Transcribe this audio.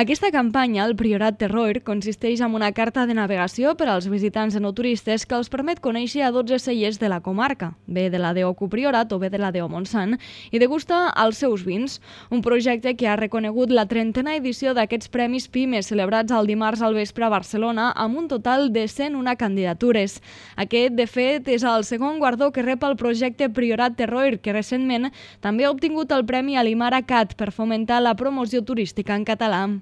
Aquesta campanya, el Priorat Terroir, consisteix en una carta de navegació per als visitants i no turistes que els permet conèixer a 12 cellers de la comarca, bé de la DO Priorat o bé de la DO Montsant, i degustar els seus vins. Un projecte que ha reconegut la 30a edició d'aquests Premis PIME celebrats el dimarts al vespre a Barcelona amb un total de 101 candidatures. Aquest, de fet, és el segon guardó que rep el projecte Priorat Terroir, que recentment també ha obtingut el Premi Alimara Cat per fomentar la promoció turística en català.